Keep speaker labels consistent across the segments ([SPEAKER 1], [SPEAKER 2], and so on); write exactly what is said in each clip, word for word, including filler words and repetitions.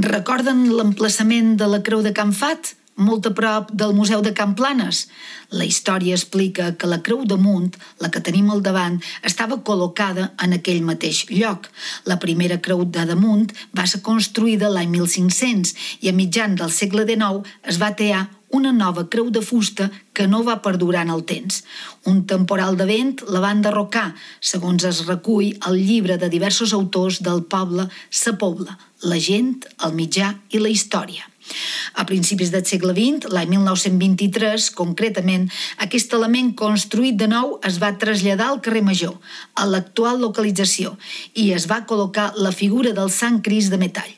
[SPEAKER 1] Recorden l'emplaçament de la Creu de Can Fat, molt a prop del Museu de Can Planes? La història explica que la Creu de Munt, la que tenim al davant, estava col·locada en aquell mateix lloc. La primera creu de damunt va ser construïda l'any mil cinc-cents i a mitjan del segle dinou es va tear una nova creu de fusta que no va perdurar en el temps. Un temporal de vent la va enderrocar, segons es recull al llibre de diversos autors del poble Sa Pobla, la gent, el mitjà i la història. A principis del segle vint, l'any mil nou-cents vint-i-tres, concretament, aquest element construït de nou es va traslladar al carrer Major, a l'actual localització, i es va col·locar la figura del Sant Crist de metall.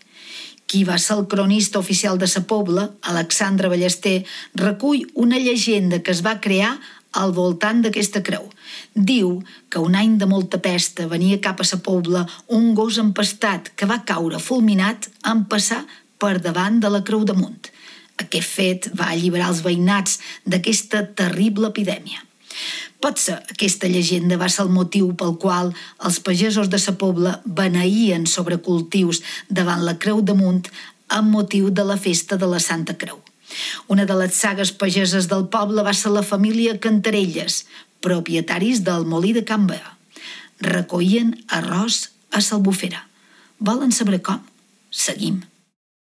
[SPEAKER 1] Qui va ser el cronista oficial de Sa Pobla, Alexandre Ballester, recull una llegenda que es va crear al voltant d'aquesta creu. Diu que un any de molta pesta venia cap a Sa Pobla un gos empestat que va caure fulminat en passar per davant de la Creu de Munt. Aquest fet va alliberar els veïnats d'aquesta terrible epidèmia. Potser aquesta llegenda va ser el motiu pel qual els pagesos de Sa Pobla beneïen sobre cultius davant la Creu de Munt amb motiu de la festa de la Santa Creu. Una de les sagues pageses del poble va ser la família Cantarelles, propietaris del molí de Can Bea. Recollien arròs a s'Albufera. Volen saber com? Seguim.